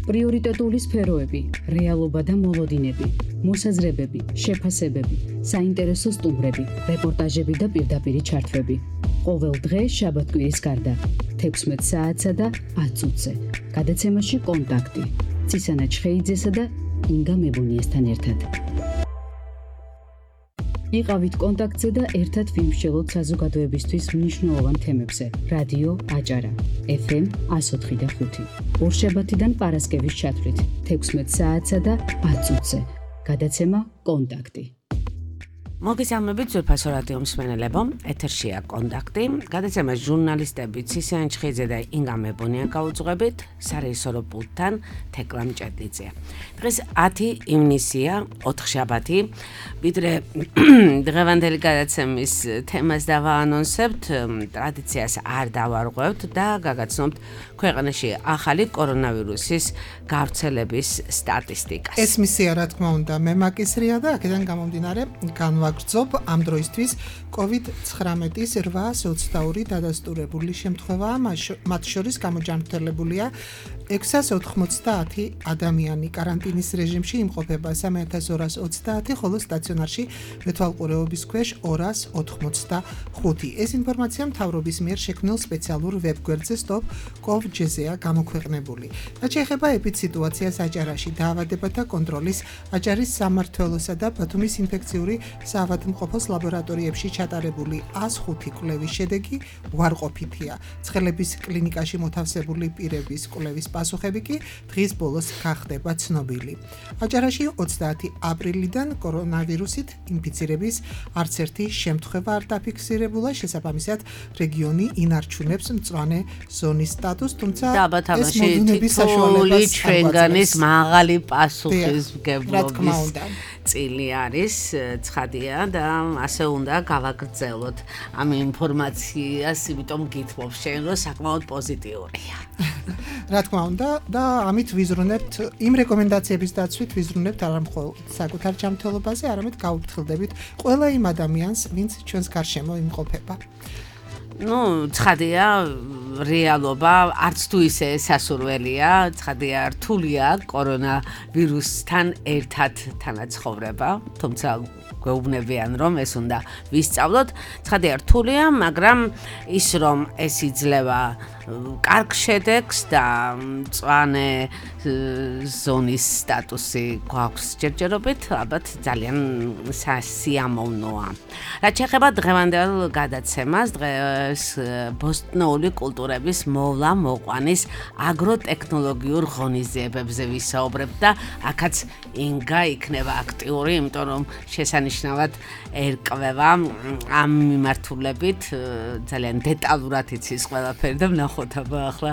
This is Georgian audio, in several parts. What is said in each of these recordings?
პრიორიტეტული სფეროები, რეალობა და მოლოდინები, მოსაზრებები, შეფასებები, საინტერესო სტუმრები, რეპორტაჟები და პირდაპირი ჩართვები. ყოველ დღე შაბათ-კვირის გარდა 16 საათსა და 10 წუთზე. გადაცემაში კონტაქტი. ცისანა ჩხეიძესა და ინგა მებონიასთან ერთად. იყავით კონტაქტზე და ერთად ვიმსჯელოთ საზოგადოებისთვის მნიშვნელოვან თემებზე. რადიო აჭარა, FM 104.5. ორშაბათიდან პარასკევის ჩათვლით 16 საათსა და 10 წუთზე. გადაცემა კონტაქტი. მოგესალმებით ძვირფასო რადიო მსმენელებო, ეთერშია კონტაქტი. გადაცემას ჟურნალისტები ცისანა ჩხეიძე და ინგა მებონია გაუძღვებით, სარეჟისორო პულტთან თეკლა მჭედლიძე. დღეს 10 ივნისია, 4 შაბათი. ვიდრე დღევანდელი გადაცემის თემას დავაანონსებთ, ტრადიციას არ დავარღვევთ და გაგაცნობთ ქვეყანაში ახალი კორონავირუსის გავრცელების სტატისტიკას. ეს მისია, რა თქმა უნდა, მემაკისრია და აქედან გამომდინარე განვაგრძობ ამ დროისთვის COVID-19-ის 822 დადასტურებული შემთხვევაა, მათ შორის გამოჯანმრთელებულია 690 ადამიანი, კარანტინის რეჟიმში იმყოფება 3230, ხოლო სტაციონარში მეთვალყურეობის ქვეშ 285. ეს ინფორმაცია მთავრობის მიერ შექმნილ სპეციალურ ვებგვერდზე stop.gov.gz-ია გამოქვეყნებული. რაც შეეხება ეპიდსიტუაციას აჭარაში, დაავადებათა კონტროლის, აჭარის სამმართველოსა და ბათუმის ინფექციური საავადმყოფოს ლაბორატორიებში ჩატარებული 105 კვლევის შედეგი უარყოფითია. ცხელების კლინიკაში მოთავსებული პირების კვლევის პასუხები კი დღის ბოლოს გახდება ცნობილი. აჭარაში 30 აპრილიდან კორონავირუსით ინფიცირების არც ერთი შემთხვევა არ დაფიქსირებულა, შესაბამისად რეგიონი ინარჩუნებს მწვანე ზონის სტატუსს, თუმცა ეს მოდუნების საშუალებას ჩვენგანის მაღალი პასუხისმგებლობის წილი არის, ცხადია და ასე უნდა გავაგრძელოთ ამ ინფორმაციას, იმიტომ გითხოვ შენ, რომ საკმაოდ პოზიტიურია. რა თქმა უნდა და ამით ვიზრუნებთ იმ რეკომენდაციების დაცვით ვიზრუნებთ არა მხოლოდ საკუთარ ჯანმრთელობაზე, არამედ გავუფრთხილდებით ყველა იმ ადამიანს, ვინც ჩვენს გარშემო იმყოფება. ცხადია, რეალობა არც თუ ისე სასურველია, ცხადია, რთულია კორონავირუსთან ერთად თანაცხოვრება, თუმცა გვეუბნებიან, რომ ეს უნდა ვისწავლოთ. ცხადია, რთულია, მაგრამ ის რომ ეს იძლევა კარგ შედეგს და მწვანე ზონის სტატუსი გვაქვს ჯერჯერობით, ალბათ ძალიან სიამოვნოა. რაც შეეხება დღევანდელ გადაცემას, დღეს ბოსტნეული კულტურების მოვლა-მოყვანის აგროტექნოლოგიურ ღონისძიებებზე ვისაუბრებთ და აქაც ინგა იქნება აქტიური, იმიტომ რომ შესანიშნავად ერკვევა ამ მიმართულებით, ძალიან დეტალურად იცის ყველაფერი და ვნახოთ აბა ახლა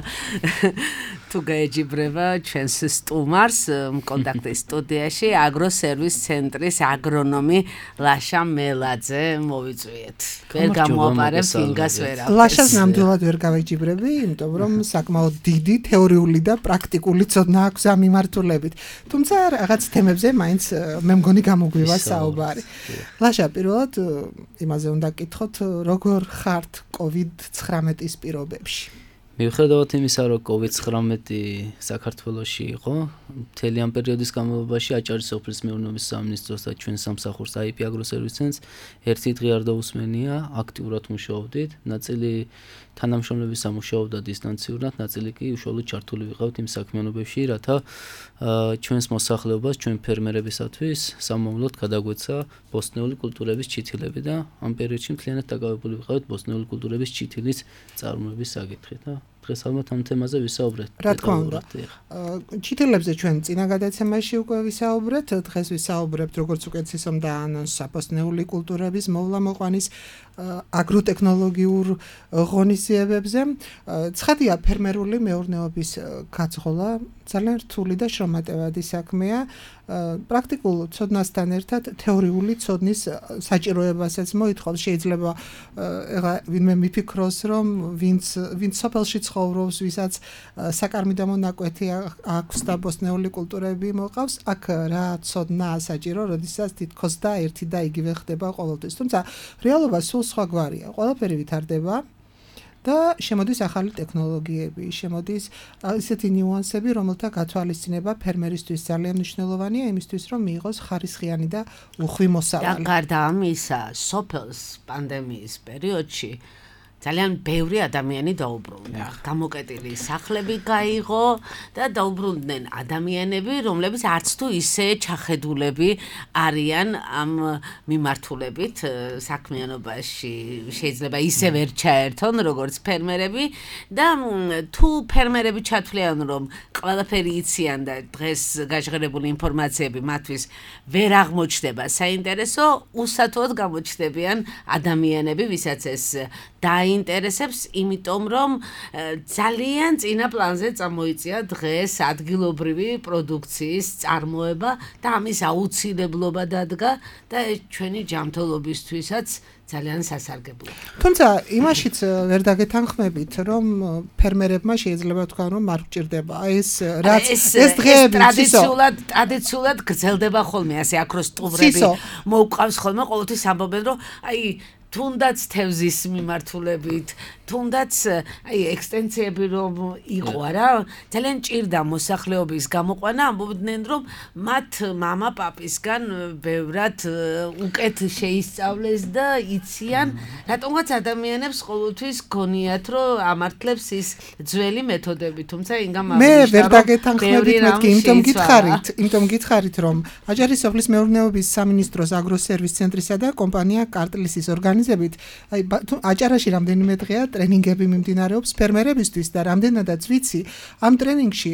თუ გაეჯიბრება ჩვენს სტუმარს კონტაქტის სტუდიაში აგროსერვის ცენტრის აგრონომი ლაშა მელაძე, მოვიწვიეთ. ვერ გამოაპარებ ინგას ვერაფერს. ლაშას ნამდვილად ვერ გავეჯიბრები, იმიტომ რომ საკმაოდ დიდი თეორიული და პრაქტიკული ცოდნა აქვს ამ მიმართულებით. თუმცა რაღაც თემებზე მაინც მე მგონი გამოგვივა საუბარი. ლაშა, პირველად იმაზე უნდა გკითხოთ, როგორ ხართ COVID-19-ის პირობებში? მიუხედავად იმისა, რომ COVID-19 საქართველოში იყო, მთელი ამ პერიოდის განმავლობაში აჭარის სოფლის მეურნეობის სამინისტროს და ჩვენ სამსახურს IP აგროსერვის ცენტრს ერთი დღე არ დაუსმენია, აქტიურად მუშაობდით, ნაწილი თანამშრომლების ამუშაობდა დისტანციურად, ნაწილი კი უშუალოდ ჩართული ვიყავთ იმ საქმიანობებში, რათა ჩვენს მოსახლეობას, ჩვენ ფერმერებისათვის სამომავლოდ გადაგვეცა ბოსტნეული კულტურების ჩითილები და ამ პერიოდში მთლიანად დაკავებული ვიყავით ბოსტნეული კულტურების ჩითილის წარმოების საკითხით. დღეს ალბათ ამ თემაზე ვისაუბრეთ. რა თქმა უნდა. ჩითილებზე ჩვენ წინა გადაცემაში უკვე ვისაუბრეთ, დღეს ვისაუბრებთ როგორც უკეთ ისომ დაანონსა ბოსტნეული კულტურების მოვლა-მოყვანის აგროტექნოლოგიურ ღონისძიებებზე. ცხადია, ფერმერული მეურნეობის გაძღოლა ძალიან რთული და შრომატევადი საქმეა. პრაქტიკულ ცოდნასთან ერთად თეორიული ცოდნის საჭიროებასაც მოითხოვს. შეიძლება ვინმე მიფიქროს, რომ ვინც სოფელში ცხოვრობს, ვისაც საკარმი და მონაკვეთი აქვს და ბოსტნეული კულტურები მოყავს, აქ რა ცოდნაა საჭირო, როდესაც თითქოს და ერთი და იგივე ხდება ყოველთვის. თუმცა რეალობა სულ სხვაგვარია. ყველაფერი ვითარდება და შემოდის ახალი ტექნოლოგიები, შემოდის ისეთი ნიუანსები, რომელთა გათვალისწინება ფერმერისთვის ძალიან მნიშვნელოვანია იმისთვის, რომ მიიღოს ხარისხიანი და უხვი მოსავალი. და გარდა ამისა, სოფელს პანდემიის პერიოდში ძალიან ბევრი ადამიანი დაუბრუნდა. გამოკეტილი სახლები გაიღო და დაუბრუნდნენ ადამიანები, რომლებიც არც თუ ისე ჩახედულები არიან ამ მიმართულებით საქმიანობაში. შეიძლება ისე ვერ ჩაერთონ, როგორც ფერმერები და თუ ფერმერები ჩათვლიან, რომ ყველაფერი იციან და დღეს გაჟღერებული ინფორმაციები მათთვის ვერ აღმოჩნდება საინტერესო, უსათოდ გამოჩნდებიან ადამიანები, ვისაც ეს დაინტერესებს, იმიტომ რომ ძალიან წინა პლანზე წამოიწია დღეს ადგილობრივი პროდუქციის წარმოება და ამის აუცილებლობა დადგა და ჩვენი ჯანმრთელობისთვისაც ძალიან სასარგებლოა. თუმცა იმაშიც ვერ დაგეთანხმებით, რომ ფერმერებმა შეიძლება თქვა, რომ არ გჭირდება ეს რაც ეს დღეები ტრადიციულად გრძელდება ხოლმე ასე აქროს სტუმრები მოუყავს ხოლმე ყოველთვის ამბობენ, რომ აი თუნდაც თევზის მიმართულებით, თუნდაც აი ექსტენსიები რომ იყო რა, ძალიან ჭირდა მოსახლეობის გამოყვანა, ამბობდნენ რომ მათ მამა-პაპისგან ბევრად უკეთ შეისწავლეს და იციან, რატომღაც ადამიანებს ყოველთვის გონიათ რომ ამართლებს ის ძველი მეთოდები, თუმცა ინგამ მე ვერ დაგეთანხმებით მეთქი, იმიტომ გითხარით რომ აჭარის სოფლის მეურნეობის სამინისტროს აგროსერვის ცენტრისა და კომპანია კარტლისის ორგანიზებით აი აჭარაში რამდენიმე დღეა ტრენინგები მიმდინარეობს ფერმერებისთვის და რამდენადაც ვიცი ამ ტრენინგში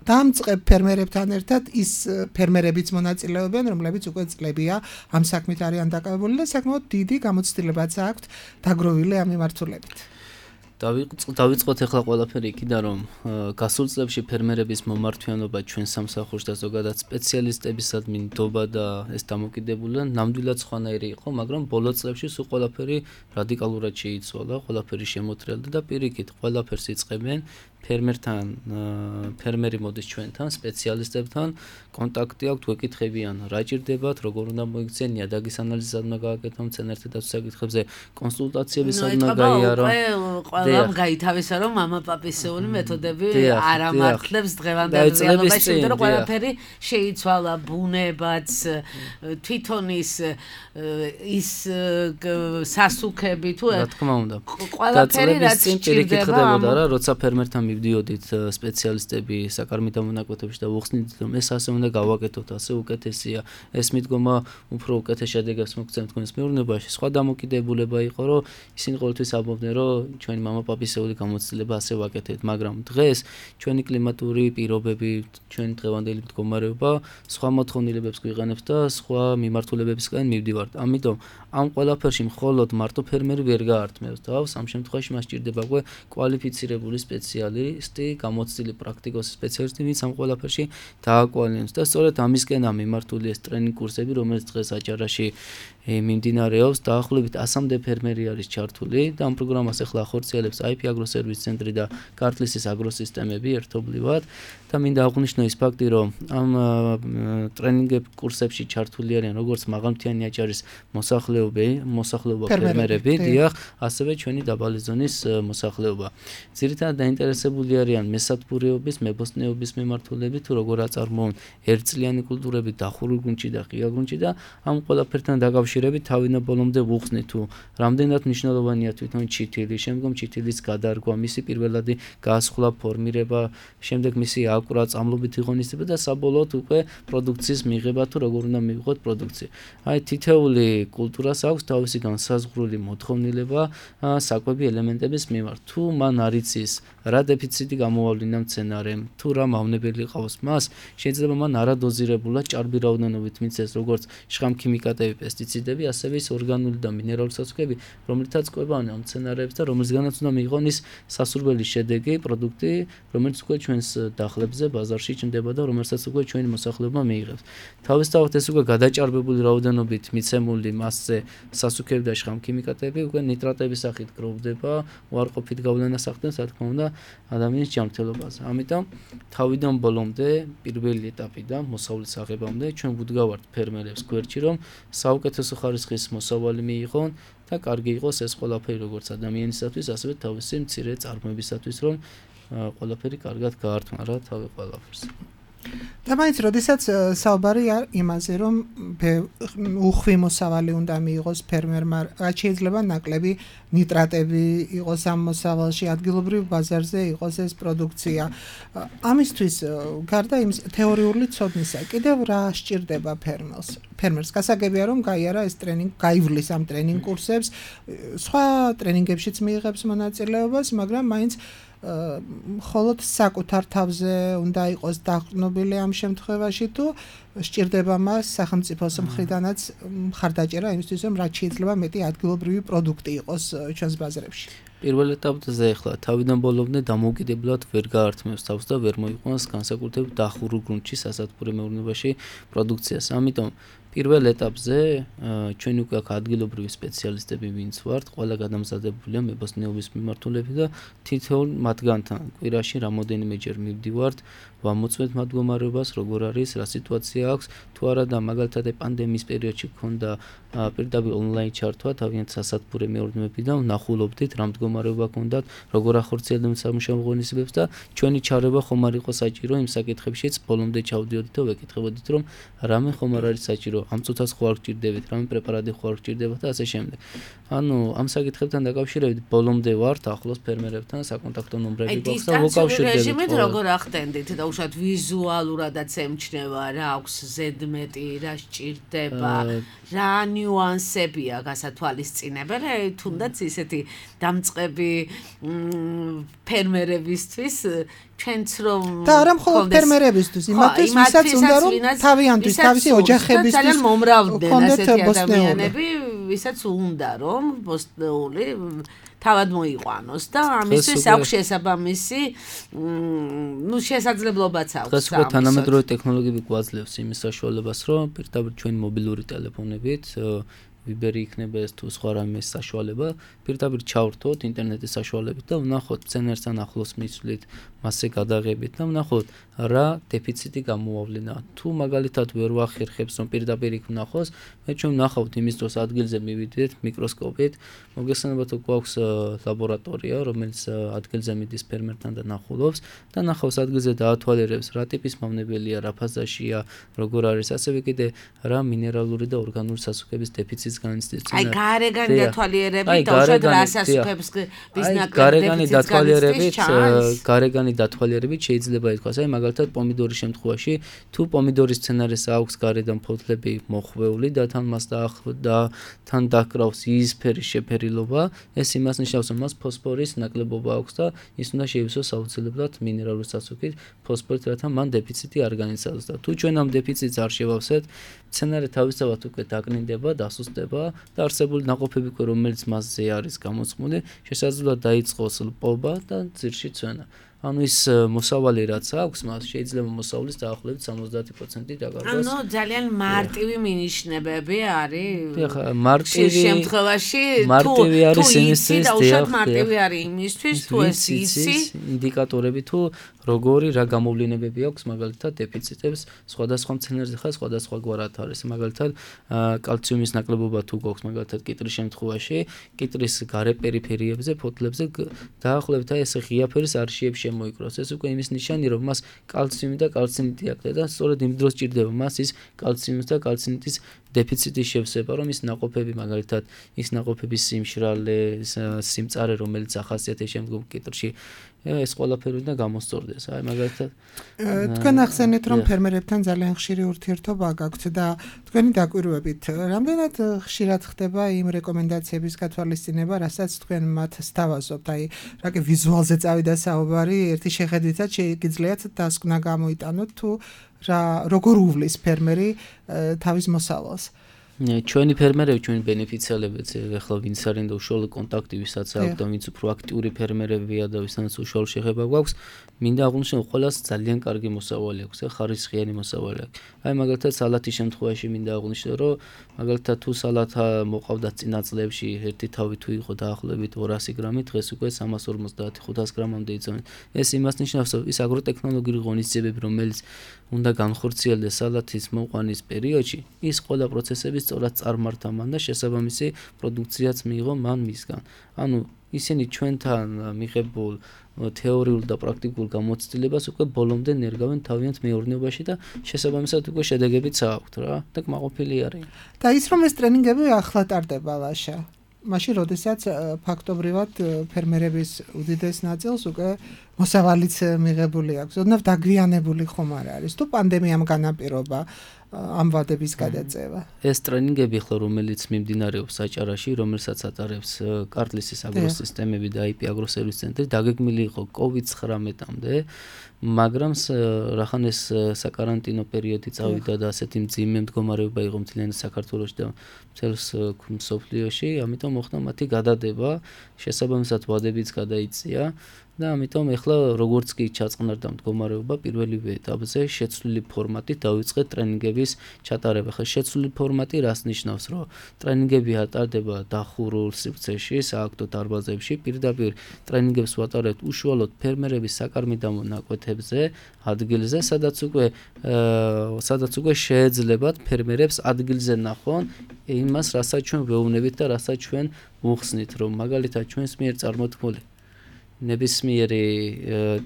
დამწყებ ფერმერებთან ერთად ის ფერმერებიც მონაწილეობენ, რომლებიც უკვე წლებია ამ საქმით არიან დაკავებული და საკმაოდ დიდი გამოცდილებაც აქვთ დაგროვილი ამ მიმართულებით. დავიწყოთ ახლა ყველაფერი იქიდან, რომ გასულ წლებში ფერმერების მომართვიანობა ჩვენ სამსახურში და ზოგადად სპეციალისტებისადმი ნდობა და ეს დამოკიდებულია ნამდვილად სხვანაირი იყო, მაგრამ ბოლო წლებში სულ ყველაფერი რადიკალურად შეიცვალა, ყველაფერი შემოთრელდა და პირიქით ყველაფერს იწყებენ ფერმერი მოდის ჩვენთან, სპეციალისტებთან, კონტაქტი აქვთ, ვეკითხებიან, რა ჭირდებათ, როგორ უნდა მოიქცენ, ნიადაგის ანალიზად უნდა გააკეთონ, მცენარეთა საკითხებზე კონსულტაციები სადმა გაიარო. ყველამ გაითავისა, რომ მამა-პაპისეული მეთოდები არ ამართლებს დღევანდელ რეალობაში, იმიტომ რომ ყველაფერი შეიცვალა, ბუნებაც, თვითონ ის სასუქები თუ რა თქმა უნდა. ყველაფერი რაც ჭირდება, როცა ფერმერთან მივდიოდით სპეციალისტები საკარმით დამონაკვეთებში და ვუხსნით, რომ ეს ასე უნდა გავაკეთოთ, ასე უკეთესია, ეს მიდგომა უფრო უკეთეს შედეგებს მოგცემ თქვენს მეურნეობაში. სხვა დამოკიდებულება იყო, რომ ისინი ყოველთვის ამბობდნენ, რომ ჩვენი მამა-პაპისეული გამოცდილება ასე ვაკეთებთ, მაგრამ დღეს ჩვენი კლიმატური პირობები, ჩვენი დღევანდელი მდგომარეობა სხვა მოთხოვნილებებს გვიყენებს და სხვა მიმართულებებისკენ მივდივართ. ამიტომ ამ ყველაფერში მხოლოდ მარტო ფერმერი ვერ გაართმევს თავს, ამ შემთხვევაში მას ჭირდება უკვე კვალიფიცირებული სპეციალისტი, გამოცდილი პრაქტიკოსი სპეციალისტი, ვინც ამ ყველაფერში დააკვალინებს და სწორედ ამისკენაა მიმართული ეს ტრენინგ კურსები, რომელიც დღეს აჭარაში მიმდინარეობს. დაახლოებით 100-მდე ფერმერი არის ჩართული და ამ პროგრამას ახლა ახორციელებს IP აგროსერვის ცენტრი და კარტლისის აგროსისტემები ერთობლივად და მინდა აღვნიშნო ის ფაქტი, რომ ამ ტრენინგ კურსებში ჩართული არიან როგორც მაღალმთიანი აჭარის მოსახლეობა ფერმერები, დიახ, ასევე ჩვენი დაბალი ზონის მოსახლეობა. ძირითადად დაინტერესებული არიან მესათბურეობის, მებოსტნეობის მიმართულებით, თუ როგორ აწარმოონ ერთწლიანი კულტურები დახურულ გუნდში და ღია გუნდში და ამ ყველაფერთან დაკავშირებით თავიდან ბოლომდე ვუხსნით, თუ რამდენად მნიშვნელოვანია თვითონ ჩითილი, შემდგომ ჩითილის გადარგვა, მისი პირველადი გასხლა, ფორმირება, შემდეგ მისი აკვრა, წამლობითი ღონისძიება და საბოლოოდ უკვე პროდუქციის მიღება, თუ როგორ უნდა მივიღოთ პროდუქცია. აი თითეული კულტურას აქვს თავისი განსაზღვრული მოთხოვნილება საკვები ელემენტების მიმართ. თუ მან არ იცის რა დეფიციტი გამოავლინა მცენარემ, თუ რა მავნებელი ყავს მას, შეიძლება მან არადოზირებულად ჭარბი რაოდენობით მიცეს როგორც შხამქიმიკატები, პესტიციდები, ასევე ის ორგანული და მინერალური სასუქები, რომლითაც კვებავენ ამ მცენარეებს და რომელზეც უნდა მიიღონ ის სასურველი შედეგი, პროდუქტი, რომელიც უკვე ჩვენს დახლებზე, ბაზარში ჩნდება და რომელსაც უკვე ჩვენი მოსახლეობა მიიღებს. თავისთავად ეს უკვე გადაჭარბებული რაოდენობით მიცემული მასზე სასუქები და შხამქიმიკატები უკვე ნიტრატების სახით გროვდება, უარყოფით გავლენას ახდენს, რა თქმა უნდა, ადამიანის ჯანმრთელობაზე. ამიტომ თავიდან ბოლომდე, პირველი ეტაპიდან მოსავლის აღებამდე ჩვენ ვუდგავართ ფერმერებს გვერდში, რომ საუკეთესო საინტერესო ხარისხის მოსავალი მიიღონ და კარგი იყოს ეს ყველაფერი როგორც ადამიანისათვის, ასევე თავისი მცირე წარმოებისათვის, რომ ყველაფერი კარგად გაართმა რა თავი ყველაფერს. და მაინც როდესაც საუბარი იმაზე რომ უხვი მოსავალი უნდა მიიღოს ფერმერმა, რაც შეიძლება ნაკლები ნიტრატები იყოს ამ მოსავალში, ადგილობრივ ბაზარზე იყოს ეს პროდუქცია. ამისთვის გარდა იმ თეორიული ცოდნისა, კიდევ რა სჭირდება ფერმერს? გასაგებია რომ გაიარა ეს ტრენინგი, გაივლის ამ ტრენინგ კურსებს, სხვა ტრენინგებშიც მიიღებს მონაწილეობას, მაგრამ მაინც ხოლოდ საკუთარ თავზე უნდა იყოს დაყრდნობილი ამ შემთხვევაში თუ სჭირდება მას სახელმწიფოს მხრიდანაც მხარდაჭერა იმისთვის რომ რაც შეიძლება მეტი ადგილობრივი პროდუქტი იყოს ჩვენს ბაზრებში. პირველ ეტაპზე ახლა თავიდან ბოლომდე დამოუკიდებლად ვერ გაართმევს თავს და ვერ მოიყვანს განსაკუთრებით დახურულ გრუნტში სასათბურე მეურნეობაში პროდუქციას. ამიტომ პირველ ეტაპზე ჩვენი უკვე აქ ადგილობრივი სპეციალისტები ვინც ვართ, ყველა გადამზადებულია მებოსტნეობის მიმართულებით და თითოეულ მათგანთან კვირაში რამოდენიმეჯერ მივდივართ, ვამოწმეთ მათ მდგომარეობას, როგორ არის, რა სიტუაცია აქვს, თუ არა და მაგალითად პანდემიის პერიოდში გქონდა პირდაპირ ონლაინ ჩართვა თავიანთ სასათბურე მეურნეობიდან, ვნახულობდით რა მდგომარეობა გქონდათ, როგორ ახორციელებდნენ სამუშაო ღონისძიებებს და ჩვენი ჩარევა ხომ არ იყო საჭირო იმ საკითხებშიც, ბოლომდე ჩავდიოდით და ვეკითხებოდით რომ რამე ხომ არ არის საჭირო, ამ წუთას ხო არ გჭირდებით, რამე პრეპარატი ხო არ გჭირდებათ და ასე შემდეგ. ანუ ამ საკითხებთან დაკავშირებით ბოლომდე ვართ ახლოს ფერმერებთან, საკონტაქტო ნომრები გვაქვს და ვუკავშირდებით. რეჟიმით როგორ ახდენდით და უშუალოდ ვიზუალურადაც ემჩნევა რა აქვს ზედმეტი, რა სჭირდება, რა ნიუანსებია გასათვალისწინებელი, თუნდაც ისეთი დამწყები ფერმერებისთვის ჩვენც რომ და არა მხოლოდ ფერმერებისთვის, იმათთვის, ვისაც უნდა რომ თავიანთვის, თავისი ოჯახებისთვის ძალიან მომრავლდნენ ასეთი ადამიანები, ვისაც უნდა რომ ბოსტნეული თავად მოიყვანოს და ამისთვის აქვს შესაბამისი შესაძლებლობაც აქვს. დღეს უკვე თანამედროვე ტექნოლოგიები გვაძლევს იმის საშუალებას, რომ პირდაპირ ჩვენი მობილური ტელეფონებით ვიბერი იქნება ეს თუ სხვა რამე საშუალება, პირდაპირ ჩავრთოთ ინტერნეტის საშუალებით და ვნახოთ მცენარესთან ახლოს მისვლით, მასზე გადაღებით და ვნახოთ რა დეფიციტი გამოავლინა. თუ მაგალითად ვერ ვახერხებს რომ პირდაპირ იქ ვნახოს, მე ჩვენ ვნახავთ იმის დროს ადგილზე მივიდეთ მიკროსკოპით, მოგესალმებით თუ გვაქვს ლაბორატორია, რომელიც ადგილზე მიდის ფერმერთან და ნახულობს და ნახავს ადგილზე დაათვალიერებს რა ტიპის მავნებელია, რა ფაზაშია, როგორ არის, ასევე კიდე რა მინერალური და ორგანული სასუქების დეფიციტს განიცდის. აი გარეგანი დათვალიერებით და უშუალოდ რა სასუქებს გარეგანი დათვალიერებით შეიძლება ითქვას, აი მაგალითად პომიდორის შემთხვევაში, თუ პომიდორის სცენარეს აქვს გარედან ფოთლები მოხვეული და თან მას თან დაკრავს იისფერი შეფერილობა, ეს იმას ნიშნავს, რომ მას ფოსფორის ნაკლებობა აქვს და ის უნდა შეივსოს აუცილებლად მინერალური სასუქით, ფოსფორით, რათა მან დეფიციტი არ განიცადოს და თუ ჩვენ ამ დეფიციტს არ შევავსეთ, სცენარე თავისთავად უკვე დაკნინდება, დასუსტდება და არსებული ნაყოფები, რომელიც მასზე არის გამოწმული, შესაძლოა დაიწყოს ლპობა და ძირში წვენა. ანუ ის მოსავალი რაც აქვს, მას შეიძლება მოსავლის დაახლოებით 70% დაკარგოს. ანუ ძალიან მარტივი მინიშნებები არის. ეხლა მარტივი შემთხვევაში მარტივი არის იმისთვის, და მარტივი არის იმისთვის, თუ ეს იცი ინდიკატორები თუ როგორი რა გამოვლენებები აქვს მაგალითად დეფიციტებს სხვადასხვა მცენარეზე ხარ სხვადასხვაგვარად არის. მაგალითად კალციუმის ნაკლებობა თუ გვაქვს მაგალითად კიტრის შემთხვევაში, კიტრის გარე პერიფერიებზე, ფოთლებზე დაახლოებით ეს ღია ფერის არშიებში მოიკროს. ეს უკვე იმის ნიშანი, რომ მას კალციუმი და კალცინიტი აქვს და სწორედ იმ დროს ჭირდება მას ის კალციუმის და კალცინიტის დეფიციტის შევსება, რომ ის ნაყოფები მაგალითად ის ნაყოფების სიმშრალე, სიმწარე, რომელიც ახასიათებს შემდგომ კიტრში, ეს ყველაფერი უნდა გამოსწორდეს. აი მაგალითად თქვენ ახსენეთ, რომ ფერმერებთან ძალიან ხშირი ურთიერთობა გაქვთ და თქვენი დაკვირვებით, რამდენად ხშირად ხდება იმ რეკომენდაციების გათვალისწინება, რასაც თქვენ მათ სთავაზობთ? აი, რაკი ვიზუალზე წავიდა საუბარი, ერთი შეხედვითაც შეიძლება დასკვნა გამოიტანოთ თუ როგორ უვლის ფერმერი თავის მოსავალს. ჩვენი ფერმერები, ჩვენი ბენეფიციარებიც, ეხლა ვინც არიან და უშუალო კონტაქტი ვისაც აქვს და ვინც უფრო აქტიური ფერმერებია და ვისაც უშუალო შეხება გვაქვს, მინდა აღვნიშნო, ყველას ძალიან კარგი მოსავალი აქვს, ხარისხიანი მოსავალი აქვს. აი მაგალითად სალათის შემთხვევაში მინდა აღვნიშნო, რომ მაგალითად თუ სალათა მოყავდა წინა წლებში ერთი თავი თუ იყო დაახლოებით 200 გრამი, დღეს უკვე 350-500 გრამამდე იწევენ. ეს იმას ნიშნავს, რომ ის აგროტექნოლოგიური ღონისძიებები, რომელიც უნდა განხორციელდეს სალათის მოყვანის პერიოდში, ის ყველა პროცესების სწორად წარმართა მან და შესაბამისი პროდუქციაც მიიღო მან მისგან. ანუ ისინი ჩვენთან მიღებულ თეორიულ და პრაქტიკულ გამოცდილებას უკვე ბოლომდე ნერგავენ თავიანთ მეურნეობაში და შესაბამისად უკვე შედეგებიც აქვთ რა და კმაყოფილი არიან. და ის რომ ეს ტრენინგები ახლა ტარდება ლაშა. მაშინ როდესაც ფაქტობრივად ფერმერების უდიდეს ნაწილს უკვე მოსავალიც მიღებული აქვს. ოდნავ დაგვიანებული ხომ არ არის თუ პანდემიამ განაპირობა ამ ვადების გადაწევა. ეს ტრენინგები ხო რომელიც მიმდინარეობს საჭარაში, რომელსაც ატარებს კარტლისის აგროსისტემები და IP აგროსერვის ცენტრი, დაგეგმილი იყო COVID-19-მდე, მაგრამ რახან ეს საკარანტინო პერიოდი წავიდა და ასეთი მძიმე მდგომარეობა იყო მთლიან საქართველოში და მთელს მსოფლიოში, ამიტომ მოხდა მათი გადადება, შესაბამისად ვადებიც გადაიწია. და ამიტომ ახლა როგორც კი ჩაწყნარდა მდგომარეობა პირველივე ეტაპზე შეცვლილი ფორმატით დავიწყეთ ტრენინგების ჩატარება. ხა შეცვლილი ფორმატი რას ნიშნავს, რომ ტრენინგები ატარდება დახურულ სივრცეში, სააქტო დარბაზებში, პირდაპირ ტრენინგებს ვატარებთ უშუალოდ ფერმერების საკარმიდამო ნაკვეთებზე, ადგილზე, სადაც უკვე შეეძლებათ ფერმერებს ადგილზე ნახონ იმას, რასაც ჩვენ ვეუბნებით და რასაც ჩვენ ვუხსნით, რომ მაგალითად ჩვენს მიერ წარმოთქმული ნებისმიერი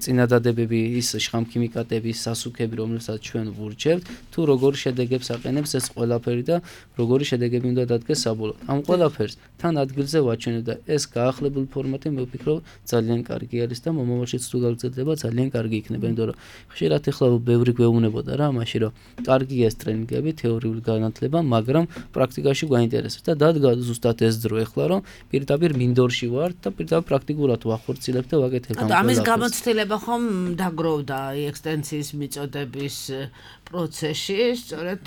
წინადადებები, ის შხამქიმიკატები, სასუქები, რომლებსაც ჩვენ ვურჩევთ, თუ როგორ შედეგებს აყენებს ეს ყველაფერი და როგორი შედეგები უნდა დადგეს საბოლოოდ. ამ ყველაფერს თან ადგილზე ვაჩვენებ და ეს გაახლებული ფორმატი მე ვფიქრობ ძალიან კარგი არის და მომავალშიც თუ გაგრძელდება ძალიან კარგი იქნება, იმიტომ რომ ხშირად ეხლა ბევრი გვეუბნებოდა რა მაშინ რომ კარგია ეს ტრენინგები, თეორიული განათლება, მაგრამ პრაქტიკაში გვაინტერესებს და დადგა ზუსტად ეს დრო ეხლა რომ პირდაპირ მინდორში ვარ და პირდაპირ პრაქტიკულად ვახორციელებ და ვაკეთებ ამ ამის გამოცდილება ხომ დაგროვდა ექსტენსიის მიწოდების პროცესში, სწორედ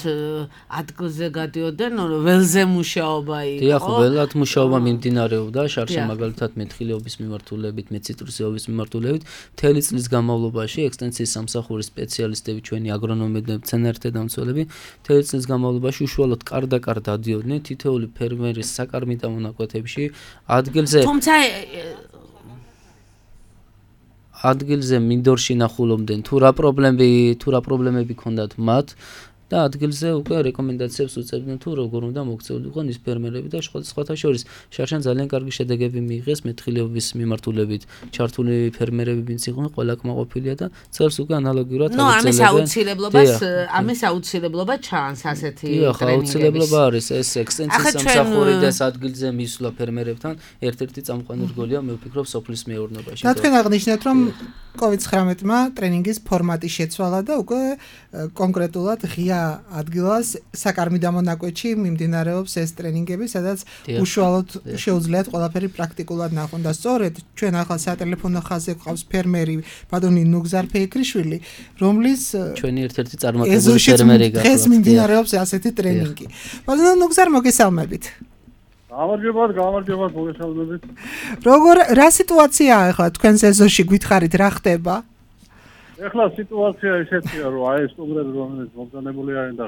ადგილზე გადიოდნენ, ველზე მუშაობა იყო. დიახ, ველად მუშაობა მიმდინარეობდა, შარშა მაგალითად მეთხილეობის მიმართულებით, მეციტრუსეობის მიმართულებით, მთელი წლის განმავლობაში ექსტენსიის სამსახურის სპეციალისტები, ჩვენი აგრონომები, მცენარეთა დამცველები, მთელი წლის განმავლობაში უშუალოდ კარ-და-კარ დადიოდნენ თითოეული ფერმერის საკარმიდამო ნაკვეთებში, ადგილზე მინდორში ნახულობდნენ თუ რა პრობლემები ჰქონდათ მათ და ადგილზე უკვე რეკომენდაციებს უწევდნენ თუ როგორ უნდა მოქცეულიყონ ის ფერმერები და სხვათა შორის შარშან ძალიან კარგი შედეგები მიიღეს მეთხილეობის მიმართულებით ჩართული ფერმერები ვინც იყვნენ ყველა კმაყოფილია და წელს უკვე ანალოგიურად ამის აუცილებლობა ჩანს ასეთი ტრენინგების. აუცილებლობა არის ეს ექსტენსიის სამსახური და ადგილზე მისვლა ფერმერებთან ერთ-ერთი წამყვანი რგოლია მე ვფიქრობ სოფლის მეურნეობაში. და თქვენ აღნიშნეთ რომ COVID-19-მა ტრენინგის ფორმატი შეცვალა და უკვე კონკრეტულად ღია ადგილას საკარმიდამო ნაკვეთში მიმდინარეობს ეს ტრენინგები, სადაც უშუალოდ შეუძლიათ ყველაფერი პრაქტიკულად ნახონ და სწორედ ჩვენ ახლა სატელეფონო ხაზზე გვყავს ფერმერი ბატონი ნუგზარ ფეიქრიშვილი, რომლის ჩვენი ერთ-ერთი წარმატებული ფერმერი გახლავთ. დღეს მიმდინარეობს ასეთი ტრენინგი. ბატონო ნუგზარ მოგესალმებით. გამარჯობათ, მოგესალმებით. რა სიტუაციაა ახლა თქვენს ეზოში გითხარით რა ხდება? ეხლა სიტუაცია ისეთია, რომ აი ეს სტუმრები რომელიც მომზადებული არიან და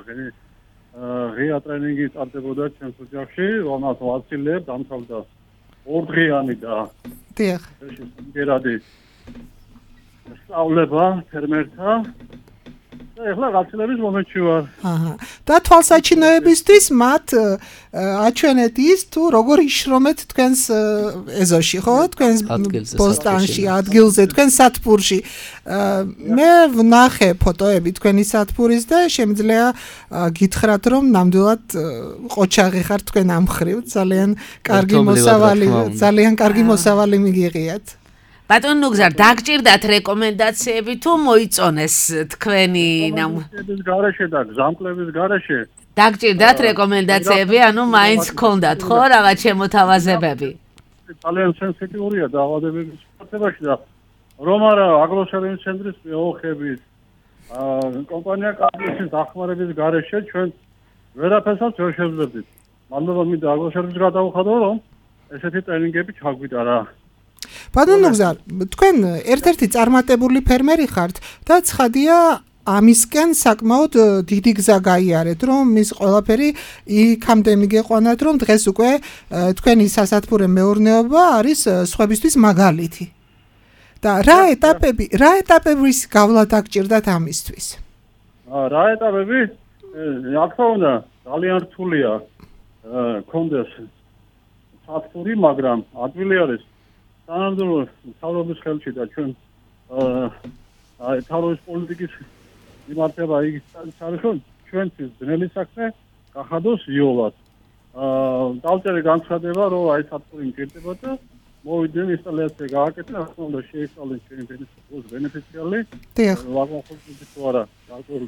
ღია ტრენინგი წარდებოდა ჩვენს ოჯახში, რომელსაც ვაცილებ, დამთავრდა ორდღიანი და დიახ. გერადი სწავლება ფერმერთა და ეხლა გაცილების მომენტში ვარ. და თვალსაჩინოებისთვის მათ აჩვენეთ ის თუ როგორ იშრომეთ თქვენს ეზოში, ხო? თქვენს პოსტანში, ადგილზე, თქვენს სათბურში. მე ვნახე ფოტოები თქვენი სათბურის და შემიძლია გითხრათ, რომ ნამდვილად ყოჩაღი ხართ თქვენ ამ მხრივ, ძალიან კარგი მოსავალი მიგიღიათ. ბატონ ნუგზარ, დაგჭირდათ რეკომენდაციები თუ მოიწონეს თქვენი ნამუშევრების გარეშე და გზამკვლევის გარეშე? დაგჭირდათ რეკომენდაციები, ანუ მაინც გქონდათ ხო რაღაც შემოთავაზებები? ძალიან სენსიტიურია დაავადებების შემოთავაზებაში და რომ არა აგროსერვის ცენტრის მეოხებით კომპანია კაპიტალის დახმარების გარეშე ჩვენ ვერაფერსაც ვერ შევძლებდით. მადლობა მინდა აგროსერვის გადავხადო, რომ ესეთი ტრენინგები ჩაგვიტარა. ბატონ ნუგზარ, თქვენ ერთ-ერთი წარმატებული ფერმერი ხართ და ცხადია ამისკენ საკმაოდ დიდი გზა გაიარეთ, რომ ის ყველაფერი იქამდე მიგეყვანათ, რომ დღეს უკვე თქვენი სასათბურე მეურნეობა არის სხვებისთვის მაგალითი. და რა ეტაპების გავლა დაგჭირდათ ამისთვის? რა ეტაპები? აქ თქონდა ძალიან რთულია. კონდეს საფრთხე, მაგრამ ადვილი არის თანამდებობ თავრობის ხელში და ჩვენ თავრობის პოლიტიკის მიმართება იგი არის რომ ჩვენთვის ძნელი საქმე გახადოს იოლად. დავწერე განცხადება რომ აი საფრთხე მჭირდება და მოვიდნენ ინსტალაცია გააკეთეს, ახლა უნდა შეისწავლეს ჩვენი ბენეფიციარი. ვაგონხორცი თუ არა გარკვეულ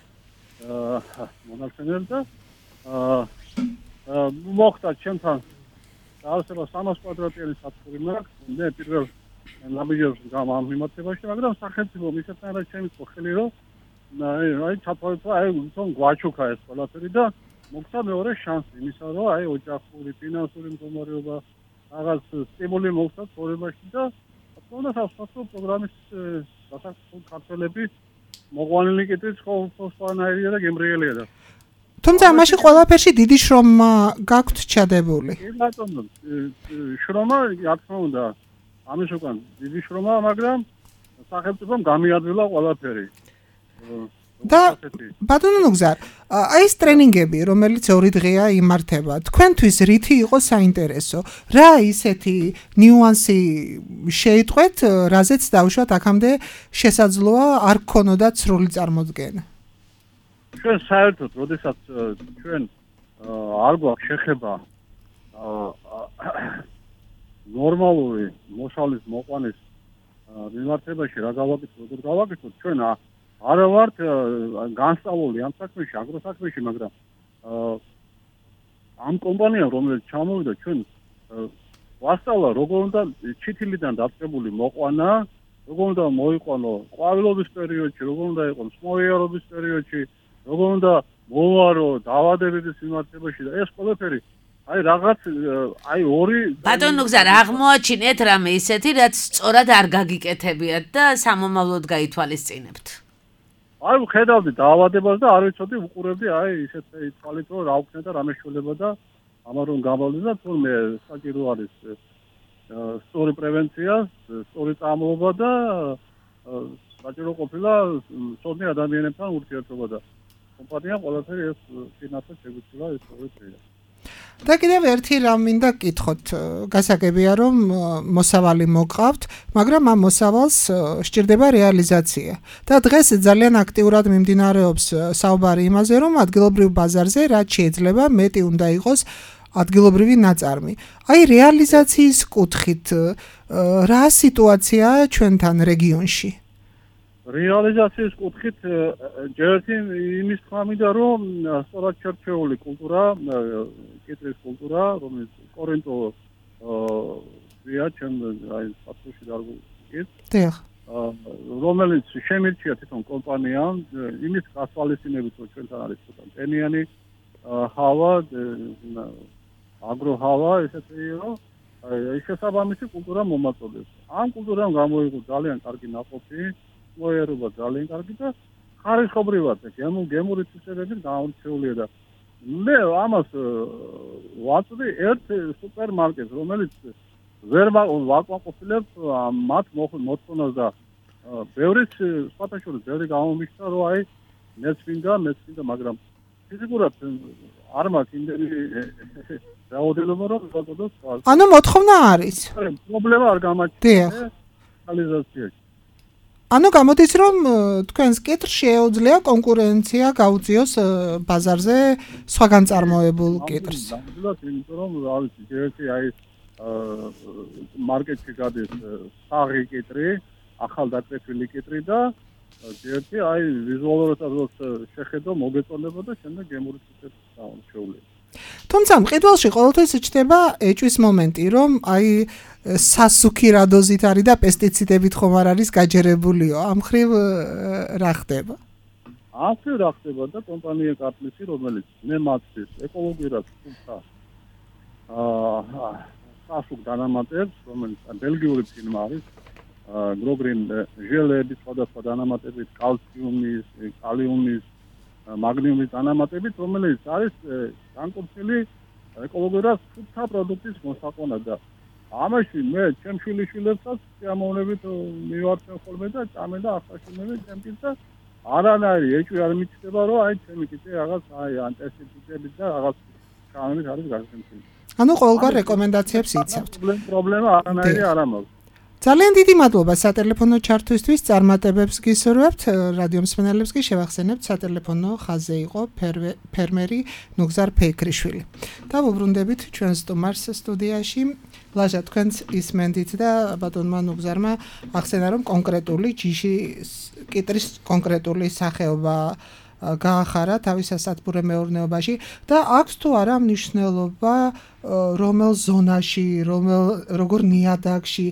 მონაცემებს და მოხდა ჩემთან დაასება 300 კვადრატიანი საფრთხე მაქვს, მე პირველ ნაბიჯებს ამ მიმართებაში, მაგრამ სახელმწიფო მისათანადო ჩემი ხელი რომ აი ჩაფარდა აი თვითონ გვაჩუქა ეს ყველაფერი და მოხდა მეორე შანსი იმისა რომ აი ოჯახური ფინანსური მდგომარეობა რაღაც სტიმული მოხდა ცხოვრებაში და თქონდა სასწავლო პროგრამის დასაწყისო ქართველები მოყვანილი კითხვით ხოლმე და გემრიელია და თუმცა ამაში ყველაფერში დიდი შრომა გაქვთ ჩადებული. კი ბატონო, შრომა რა თქმა უნდა ამის უკან დიდი შრომა, მაგრამ სახელმწიფომ გამიადვილა ყველაფერი. და ბატონო ნუგზარ, აი ეს ტრენინგები, რომელიც 2 დღეა იმართება, თქვენთვის რითი იყო საინტერესო? რა ისეთი ნიუანსი შეიტყვეთ, რაზეც დავუშვათ აქამდე შესაძლოა არ გქონოდათ სრული წარმოდგენა? ჩვენ საერთოდ, როდესაც ჩვენ არ გვაქვს შეხება ნორმალური მოსავლის მოყვანის მიმართებაში რა გავაკეთოთ, როგორ გავაკეთოთ, ჩვენ არა ვართ განსწავლული ამ საქმეში, აგროსაქმეში, მაგრამ ამ კომპანიამ, რომელიც ჩამოვიდა, ჩვენ ვასწავლა, როგორ უნდა ჩითილიდან დაწყებული მოყვანა, როგორ უნდა მოიყვანო ყვავილობის პერიოდში, როგორ უნდა იყოს მსმოიარობის პერიოდში, როგორ უნდა მოვარო დაავადებების მიმართებაში და ეს ყველაფერი აი რაღაც აი ორი ბატონო ნუგზარ აღმოაჩინეთ რამე ისეთი რაც სწორად არ გაგიკეთებიათ და სამომავლოდ გაითვალისწინებთ. აი ხედავდი დაავადებას და არ ვიცოდი უყურებდი აი ისეთ თვალით რომ რა უქნე და რა მეშველება და ამან რომ გამოვიდა თურმე საჭირო არის სწორი პრევენცია, სწორი წამოობა და საჭირო ყოფილა სწორი ადამიანებთან ურთიერთობა და კომპანია ყველაფერი ეს ფინანსად შეგვიძლია ეს პროექტი. და კიდევ ერთი რამ მინდა გკითხოთ, გასაგებია რომ მოსავალი მოყავთ, მაგრამ ამ მოსავალს სჭირდება რეალიზაცია. და დღეს ძალიან აქტიურად მიმდინარეობს საუბარი იმაზე, რომ ადგილობრივ ბაზარზე რაც შეიძლება მეტი უნდა იყოს ადგილობრივი ნაწარმი. აი რეალიზაციის კუთხით რა სიტუაციაა ჩვენთან რეგიონში? რეალიზაციის კუთხით ჯერტი იმის თქმა მინდა რომ სწორად შერჩეული კულტურა, კიტრის კულტურა, რომელიც კორენტო ვია ჩემ აი საფუში დარგუის. დიახ. რომელიც შემირჩია თვითონ კომპანიამ იმის გასვალისწინებით რომ ჩვენთან არის ცოტა ტენიანი ჰავა, აგროჰავა, ესეთი რომ აი შესაბამისი კულტურა მომაწოდებს. ამ კულტურამ გამოიღო ძალიან კარგი ნაყოფი მოერობა ძალიან კარგი და ხარისხობრივად გემური ცისებებით გამორჩეულია და მე ამას ვაწვდი ერთ სუპერმარკეტს რომელიც ვერ ვაკმაყოფილებ მათ მოთხოვნას და ბევრიც სხვათა შორის ბევრი გამომიშთა რომ აი მეც მინდა მაგრამ ფიზიკურად არ მაქვს იმდენი რაოდენობა რომ ვაკეთოს ანუ მოთხოვნა არის პრობლემა არ გამაჩნია რეალიზაციაში. ანუ გამოდის რომ თქვენს კიტრს შეუძლია კონკურენცია გაუწიოს ბაზარზე სხვაგან წარმოებულ კიტრს. იმიტომ რომ რა ვიცი, ერთი აი მარკეტში გადის საღი კიტრი, ახალდაკრეფილი კიტრი და ერთი აი ვიზუალურადაც შეხედო მოგეწონება და შემდეგ გემური ცისებს შეუძლია. თუმცა მყიდველში ყოველთვის ჩნდება ეჭვის მომენტი, რომ აი სასუქი რა დოზით არის და პესტიციდებით ხომ არ არის გაჯერებულიო. ამ ხრივ რა ხდება? ასე რა ხდება და კომპანია კარტლისი, რომელიც მე მათთვის ეკოლოგიურად თუმცა სასუქ დანამატებს, რომელიც ბელგიური ფირმა არის, გროგრინ ჟელების სხვადასხვა დანამატებით, კალციუმის, კალიუმის, მაგნიუმის დანამატებით, რომელიც არის განკუთვნილი ეკოლოგიურად სუფთა პროდუქტის მოსაყვანა და ამაში მე ჩემ შვილიშვილებსაც შემოვნებით მივარჩენ ხოლმე და წამენ და ახაშინები ჩემთვის და არანაირი ეჭვი არ მიჩნდება რომ აი ჩემი კიტე რაღაც აი ანტესტიტები და რაღაც კანონით არის გასაგებია. ანუ ყოველგვარ რეკომენდაციებს იცავთ. პრობლემა არანაირი არ ამაქვს. ძალიან დიდი მადლობა სატელეფონო ჩართვისთვის, წარმატებებს გისურვებთ. რადიო მსმენელებს კი შევახსენებთ, სატელეფონო ხაზზე იყო ფერმერი ნუგზარ ფეიქრიშვილი. დავუბრუნდებით ჩვენ სტუმარს სტუდიაში. ლაჟა, თქვენც ისმენდით და ბატონმა ნუგზარმა ახსენა, რომ კონკრეტული ჯიშის კიტრის კონკრეტული სახეობა გაახარა თავის სასათბურე მეურნეობაში და აქვს თუ არა მნიშვნელობა რომელ ზონაში, როგორ ნიადაგში,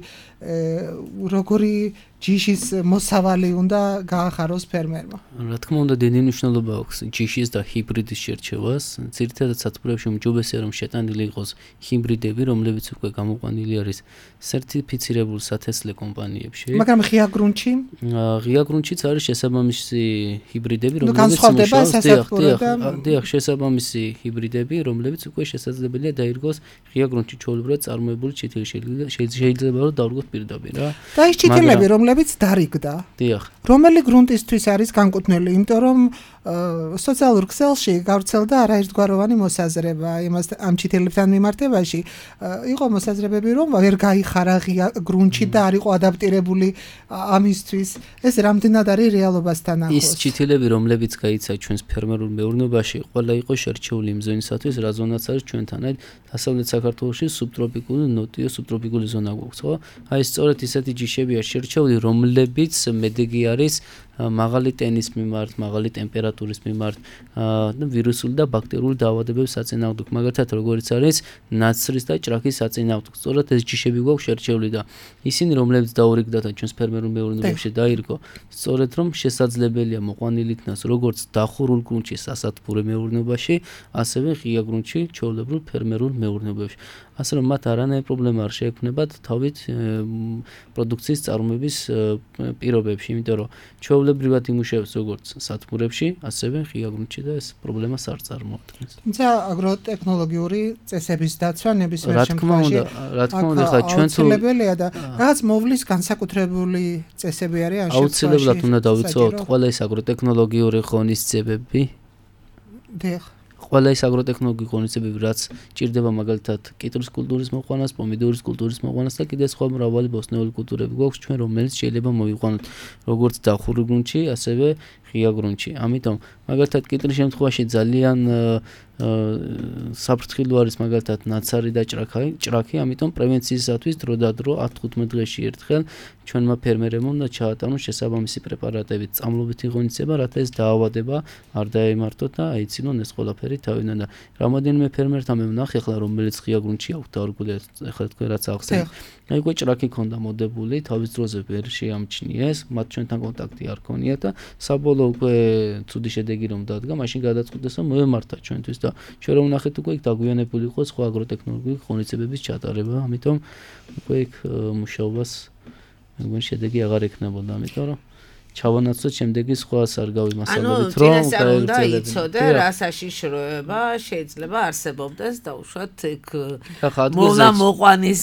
როგორი ჯიშის მოსავალი უნდა გაახაროს ფერმერმა. რა თქმა უნდა, დიდი მნიშვნელობა აქვს ჯიშის და ჰიბრიდის შერჩევას. ძირითადად სათბურეებში უმჯობესია რომ შეტანილი იყოს ჰიბრიდები, რომლებიც უკვე გამოყვანილი არის სერტიფიცირებულ სათესლე კომპანიებში. მაგრამ ღია გრუნტში? ღია გრუნტშიც არის შესაბამისი ჰიბრიდები, რომლებიც დიახ, შესაბამისი ჰიბრიდები, რომლებიც უკვე შესაძლებელია დაირგოს ღია გრუნტში ჩვეულებრივად წარმოებული ჩითილი, შეიძლება რომ დავირგოთ პირდაპირ რა. და ის ჩითილები, რომლებიც დარიგდა. დიახ. რომელი გრუნტისთვის არის განკუთვნილი, იმიტომ რომ სოციალურ ქსელში გავრცელდა არაერთგვაროვანი მოსაზრება ამ ჩითილებთან მიმართებაში. იყო მოსაზრებები, რომ ვერ გაიხარა ღია გრუნტში და არ იყო ადაპტირებული ამისთვის. ეს რამდენად არის რეალობასთან ახლოს? ის ჩითილები, რომლებიც გაიცა ჩვენს ფერმერულ მეურნეობაში, ყველა იყო შერჩეული იმ ზონისათვის, რა ზონაც არის ჩვენთან. აი, დასავლეთ საქართველოში სუბტროპიკული, ნოტიო სუბტროპიკული ზონა გვაქვს, ხო? აი, სწორედ ისეთი ჯიშებია შერჩეული, რომლებიც მედეგი არის მაღალი ტენის მიმართ, მაღალი ტემპერატურის მიმართ და ვირუსული და ბაქტერიული დაავადებების საწინააღმდეგო, მაგალითად როგორიც არის ნაცრის და ჭრაქის საწინააღმდეგო. სწორედ ეს ჯიშები გვაქვს შერჩეული და ისინი, რომლებიც დაურიგდა და ჩვენს ფერმერულ მეურნეობაში დაირგო, სწორედ რომ შესაძლებელია მოყვანილი იქნას როგორც დახურულ გრუნტში სასათბურე მეურნეობაში, ასევე ღია გრუნტში ჩვეულებრივ ფერმერულ მეურნეობაში. ასე რომ მათ არანაირი პრობლემა არ შეექმნებათ თავით პროდუქციის წარმოების პირობებში, იმიტომ რომ ჩვეულებრივად იმუშავებს როგორც სათბურებში, ასევე ღია გრუნტში და ეს პრობლემას არ წარმოადგენს. თუმცა აგროტექნოლოგიური წესების დაცვა ნებისმიერ შემთხვევაში რა თქმა უნდა, ხა ჩვენ თუ აუცილებელია და რაღაც მოვლის განსაკუთრებული წესები არის ამ შემთხვევაში. აუცილებლად უნდა დავიცავთ ყველა ეს აგროტექნოლოგიური ღონისძიებები. დიახ. ყველა ის აგროტექნოლოგიური ღონისძიებები, რაც ჭირდება მაგალითად კიტრის კულტურის მოყვანას, პომიდორის კულტურის მოყვანას და კიდე სხვა მრავალი ბოსტნეული კულტურები გვაქვს ჩვენ, რომელიც შეიძლება მოვიყვანოთ როგორც დახურულ გრუნტში, ასევე ღია გრუნტში. ამიტომ მაგალითად კიტრის შემთხვევაში ძალიან საფრთხილო არის მაგალითად ნაცარი და ჭრაქი, ამიტომ პრევენციისათვის დრო და დრო 10-15 დღეში ერთხელ ჩვენმა ფერმერებმა უნდა ჩაატარონ შესაბამისი პრეპარატებით, წამლობითი ღონისძიება, რათა ეს დაავადება არ დაემართოთ და აიცინონ ეს ყველაფერი თავიდან და რამოდენიმე ფერმერთან მე ვნახე ახლა რომელიც ღია გრუნტში აქვს დაურგული, ახლა თქვენ რაც ახსენეთ. აი უკვე ჭრაქი ქონდა მოდებული, თავის დროზე ვერ შეამჩნიეს, მათ ჩვენთან კონტაქტი არ ქონიათ და საბოლოო უკვე ცუდი შედეგი რომ დადგა, მაშინ გადაწყვიტეს რომ მოემართა ჩვენთვის და ჩვენ რომ ვნახეთ უკვე იქ დაგვიანებული იყო სხვა აგროტექნოლოგიური ღონისძიებების ჩატარება, ამიტომ უკვე იქ მუშაობას მეგონი შედეგი აღარ ექნებოდა, ამიტომ რომ ჩავანაცვლოთ შემდეგი სხვას არ გავიმასალებით რომ უნდა იცოდე რა საშიშროება შეიძლება არსებობდეს და უშუალოდ იქ მოყვანის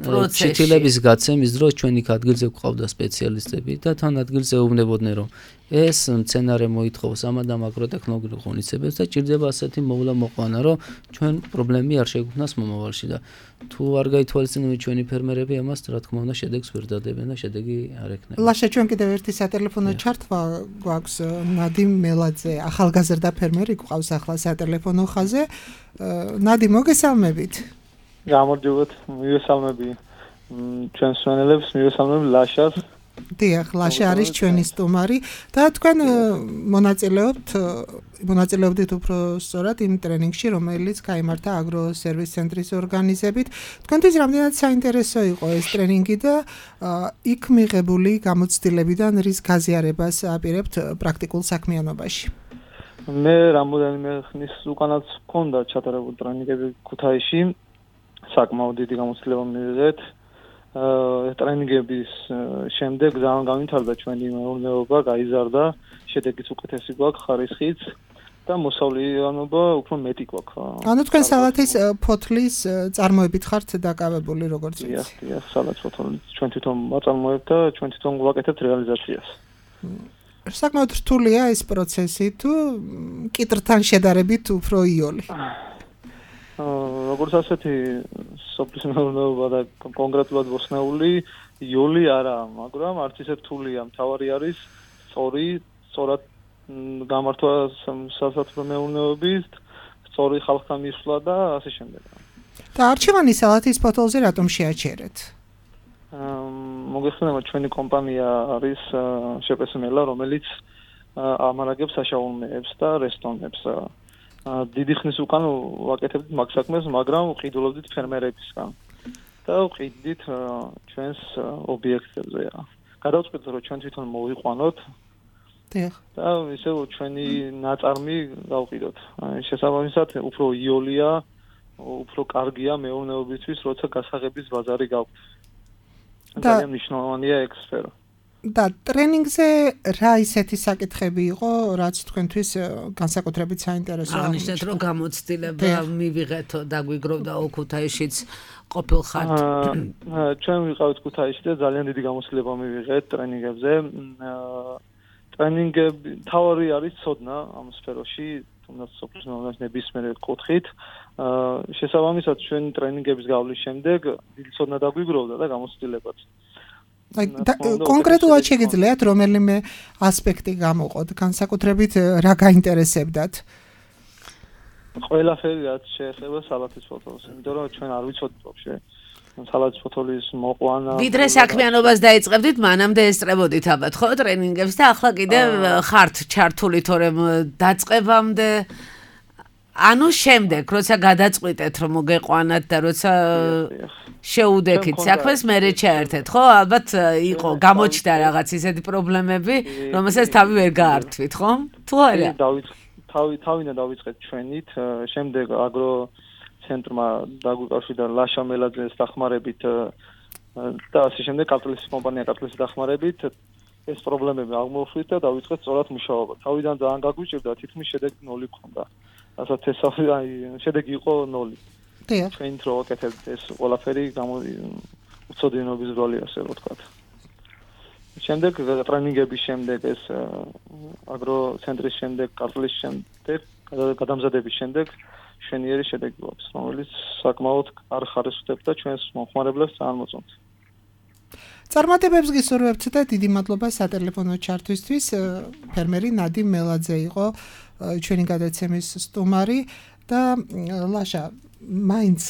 პროცესში ჩითილების გაცემის დროს ჩვენ იქ ადგილზე გვყავდა სპეციალისტები და თან ადგილზე ეუბნებოდნენ რომ ეს მცენარე მოითხოვს ამადამ აგროტექნოლოგიურ ღონისძიებებს და ჭირდება ასეთი მოყვანა რომ ჩვენ პრობლემები არ შეგვქნას მომავალში და თუ არ გაითვალისწინებენ ჩვენი ფერმერები ამას რა თქმა უნდა შედეგს ვერ დადებენ და შედეგი არ ექნება. ლაშა ჩვენ კიდევ ერთი სატელეფონო ჩართვა გვაქვს ნადიმ მელაძე, ახალგაზრდა ფერმერი გვყავს ახლა სატელეფონო ხაზზე. ნადიმ მოგესალმებით. გამარჯობათ, მივესალმები ჩვენს მსმენელებს, მივესალმები ლაშას. დიახ, ლაშა არის ჩვენი სტუმარი და თქვენ მონაწილეობდით უფრო სწორად იმ ტრენინგში, რომელიც გაიმართა აგროსერვის ცენტრის ორგანიზებით. თქვენთვის რამდენად საინტერესო იყო ეს ტრენინგი და იქ მიღებული გამოცდილებიდან რის გაზიარებას აპირებთ პრაქტიკულ საქმიანობაში? მე რამოდენიმე ხნის უკანაც მქონდა ჩატარებული ტრენინგები ქუთაისში, საკმაოდ დიდი გამოცდილება მივიღეთ. ტრენინგების შემდეგ ძალიან განვითარდა ჩვენი მეურნეობა, გაიზარდა, შედეგიც უკეთესი გვაქვს, ხარისხიც და მოსავლიანობა უფრო მეტი გვაქვს. ანუ თქვენ სალათის ფოთლის წარმოებით ხართ დაკავებული როგორც ვიცი? დიახ, სალათის ფოთლი ჩვენ თვითონ ვაწარმოებთ და ჩვენ თვითონ ვაკეთებთ რეალიზაციას. საკმაოდ რთულია ეს პროცესი თუ კიტრთან შედარებით უფრო იოლი? როგორც ასეთი სოფლის მეურნეობა და კონკრეტულად ბოსნეული იოლი არა, მაგრამ არც ისე რთულია. მთავარი არის სწორად გამართვა სასოფლო მეურნეობის, სწორი ხალხთან მისვლა და ასე შემდეგ. და არჩევანი სალათის ფოთოლზე რატომ შეაჩერეთ? მოგეხსენება ჩვენი კომპანია არის შეპესმელა, რომელიც ამარაგებს საშუალებებს და რესტორნებს. დიდი ხნის უკან ვაკეთებდით მაგ საქმეს, მაგრამ ვყიდულობდით ფერმერებისგან და ვყიდდით ჩვენს ობიექტებზე. გადავწყვიტეთ, რომ ჩვენ თვითონ მოვიყვანოთ და ისე ჩვენი ნაწარმი გავყიდოთ. შესაბამისად, უფრო იოლია, უფრო კარგია მეურნეობისთვის, როცა გასაღების ბაზარი გაქვთ. ძალიან მნიშვნელოვანია ეგ სფერო. და ტრენინგზე რა ისეთი საკითხები იყო, რაც თქვენთვის განსაკუთრებით საინტერესოა? აღნიშნეთ, რომ გამოცდილება მივიღეთო და გვიგროვდა ოქუთაიშიც ყოფილხართ. ჩვენ ვიყავით ქუთაისში და ძალიან დიდი გამოცდილება მივიღეთ ტრენინგებზე. ტრენინგები თავი არის ცოდნა ამ სფეროში, თუნდაც სოფლის მეურნეობის ნებისმიერ კუთხით. შესაბამისად, ჩვენ ტრენინგების გავლის შემდეგ დიდი ცოდნა დაგვიგროვდა და გამოცდილებაც. კონკრეტულად შეგიძლიათ რომელიმე ასპექტი გამოყოთ, განსაკუთრებით რა გაინტერესებდათ? ყველაფერი რაც შეეხება სალათის ფოთოლს, იმიტომ რომ ჩვენ არ ვიცოდით ვაფშე სალათის ფოთოლის მოყვანა. ვიდრე საქმიანობას დაიწყებდით, მანამდე ესწრებოდით ალბათ ხო ტრენინგებს და ახლა კიდევ ხართ ჩართული თორემ დაწყებამდე ანუ შემდეგ, როცა გადაწყვიტეთ რომ მოგეყვანათ და როცა შეუდექით საქმეს, მერე ჩაერთეთ, ხო? ალბათ იყო გამოჩნდა რაღაც ისეთი პრობლემები, რომელსაც თავი ვერ გაართვით, ხო? თუ არა? თავიდან დავიწყეთ ჩვენით, შემდეგ აგრო ცენტრმა დაგვიკავშირდა ლაშა მელაძეს დახმარებით და ასე შემდეგ კაპიტალისტის კომპანია კაპიტალისტის დახმარებით ეს პრობლემები აღმოვხვრით და დავიწყეთ სწორად მუშაობა. თავიდან ძალიან გაგვიჭირდა, თითქმის შედეგი 0 გქონდა. რასაც შედეგი იყო 0. ჩვენით რო ვაკეთებთ ეს ყველაფერი უცოდინობის როლი ასე რომ ვთქვათ. შემდეგ ტრენინგების შემდეგ ეს აგრო ცენტრის შემდეგ, კაპიტალისტის შემდეგ, გადამზადების შემდეგ შვენიერი შედეგი გვაქვს, რომელიც საკმაოდ კარგ ხარისხს და ჩვენს მომხმარებლებს წარმოწონთ. წარმატებებს გისურვებთ და დიდი მადლობა სატელეფონო ჩართვისთვის. ფერმერი ნადიმ მელაძე იყო ჩვენი გადაცემის სტუმარი და ლაშა, მაინც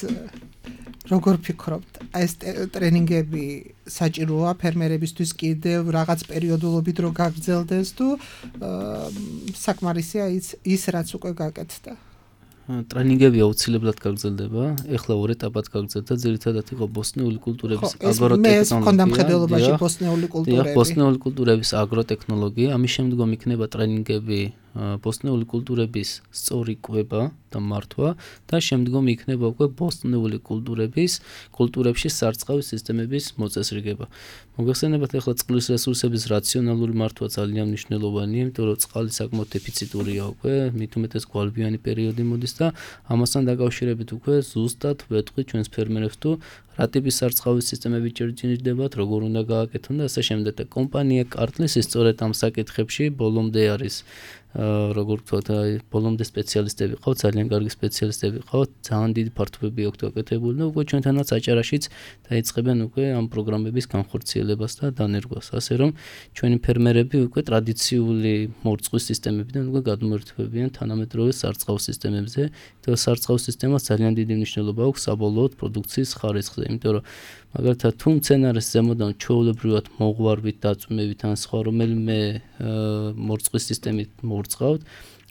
როგორ ფიქრობთ, ეს ტრენინგები საჭიროა ფერმერებისთვის კიდევ რაღაც პერიოდულობით რო გაგრძელდეს თუ საკმარისია ის რაც უკვე გაკეთდა? ტრენინგები აუცილებლად გაგრძელდება. ეხლა ორ ეტაპად გაგრძელდა, ძირითადად იყო ბოსნეული კულტურების აგროტექნოლოგია. ეს მქონდა მხედველობაში ბოსნეული კულტურები. ბოსნეული კულტურების აგროტექნოლოგია, ამის შემდგომ იქნება ტრენინგები ბოსნეული კულტურების სწორი კვება და მართვა და შემდგომ იქნება უკვე ბოსნეული კულტურებში სარწყავი სისტემების მოწესრიგება. მოგეხსენებათ, ახლა წყლის რესურსების რაციონალური მართვა ძალიან მნიშვნელოვანია, იმიტომ რომ წყალი საკმაოდ დეფიციტურია უკვე, მით უმეტეს გვალვიანი პერიოდი მოდის და ამასთან დაკავშირებით უკვე ზუსტად ვეტყვი ჩვენს ფერმერებს თუ რა ტიპის სარწყავი სისტემები ჭირდებათ, როგორ უნდა გააკეთონ და ასე შემდეგ. და კომპანია კარტლისი სწორედ ამ საკითხებში ბოლომდე არის როგორ ვთქვათ, ბოლომდე სპეციალისტები ყავთ, ძალიან კარგი სპეციალისტები ყავთ, ძალიან დიდი ფართობები აქვთ გაკეთებული და უკვე ჩვენთანაც აჭარაშიც დაიწყებენ უკვე ამ პროგრამების განხორციელებას და დანერგვას. ასე რომ ჩვენი ფერმერები უკვე ტრადიციული მორწყვის სისტემებიდან უკვე გადმოერთვებიან თანამედროვე სარწყავ სისტემებზე. და სარწყავ სისტემას ძალიან დიდი მნიშვნელობა აქვს საბოლოოდ პროდუქციის ხარისხზე, იმიტომ რომ მაგალითად თუ მცენარეს ზემოდან ჩვეულებრივად მოღვარვით, დაწვიმებით ან სხვა რომელიმე მორწყვის სისტემით მორწყავთ,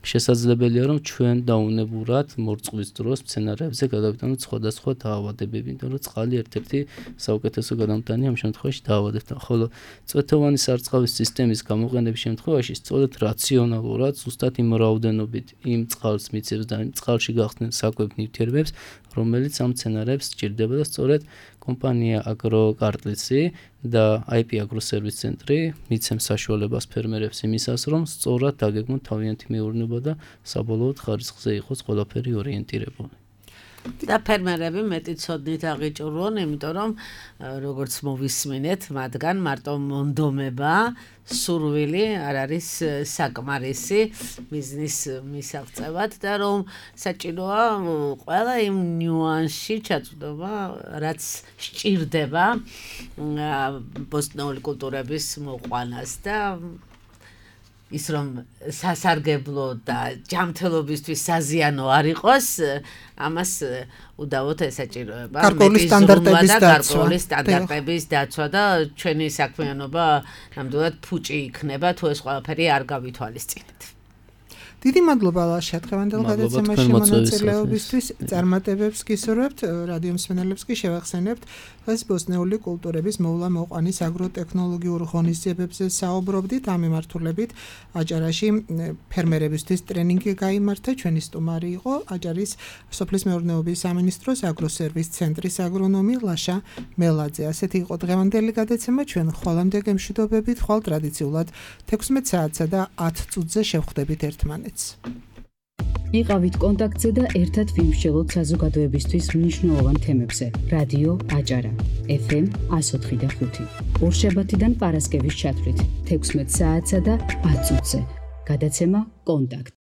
შესაძლებელია რომ ჩვენ დაუნებურად მორწყვის დროს მცენარეებზე გადავიტანოთ სხვადასხვა დაავადებები, იმიტომ რომ წყალი ერთ-ერთი საუკეთესო გადამტანია ამ შემთხვევაში დაავადებთან. ხოლო წვეთოვანი სარწყავის სისტემის გამოყენების შემთხვევაში სწორედ რაციონალურად, ზუსტად იმ რაოდენობით იმ წყალს მიცემს და იმ წყალში გახსნილ საკვებ ნივთიერებებს, რომელიც ამ მცენარეებს სჭირდება და სწორედ კომპანია აგროკარტლისი და IP აგროსერვის ცენტრი მიცემს საშუალებას ფერმერებს იმისას, რომ სწორად დაგეგმონ თავიანთი მეურნეობა და საბოლოოდ ხარისხზე იყოს ყველაფერი ორიენტირებული. და ფერმერები მეტი ცოდნით აღიჭურვონ, იმიტომ რომ როგორც მოვისმინეთ, მათგან მარტო მონდომება, სურვილი არ არის საკმარისი ბიზნეს მისაღწევად და რომ საჭიროა ყველა იმ ნიუანსში ჩაწვდომა, რაც სჭირდება ბოსტნეული კულტურების მოყვანას და ის რომ სასარგებლო და ჯანმრთელობისთვის საზიანო არ იყოს, ამას უდავოდ ესაჭიროება გარკვეული სტანდარტების დაცვა და ჩვენი საქმიანობა ნამდვილად ფუჭი იქნება თუ ეს ყველაფერი არ გავითვალისწინეთ. დიდი მადლობა ლაშა დღევანდელ გადაცემაში მონაწილეობისთვის. წარმატებებს გისურვებთ, რადიო მსმენელებს კი შევახსენებთ დღეს ბოსტნეული კულტურების მოვლა-მოყვანის აგროტექნოლოგიურ ღონისძიებებზე საუბრობდით. ამ მიმართულებით აჭარაში ფერმერებისთვის ტრენინგი გაიმართა. ჩვენი სტუმარი იყო აჭარის სოფლის მეურნეობის სამინისტროს აგროსერვის ცენტრის აგრონომი ლაშა მელაძე. ასეთი იყო დღევანდელი გადაცემა. ჩვენ ხვალამდე გემშვიდობებით, ხვალ ტრადიციულად 16 საათსა და 10 წუთზე შევხვდებით ერთმანეთს. იყავით კონტაქტზე და ერთად ვიმსჯელოთ საზოგადოებისთვის მნიშვნელოვან თემებზე. რადიო აჭარა FM 104.5 ორშაბათიდან პარასკევის ჩათვლით 16 საათსა და 10 წუთზე. გადაცემა კონტაქტ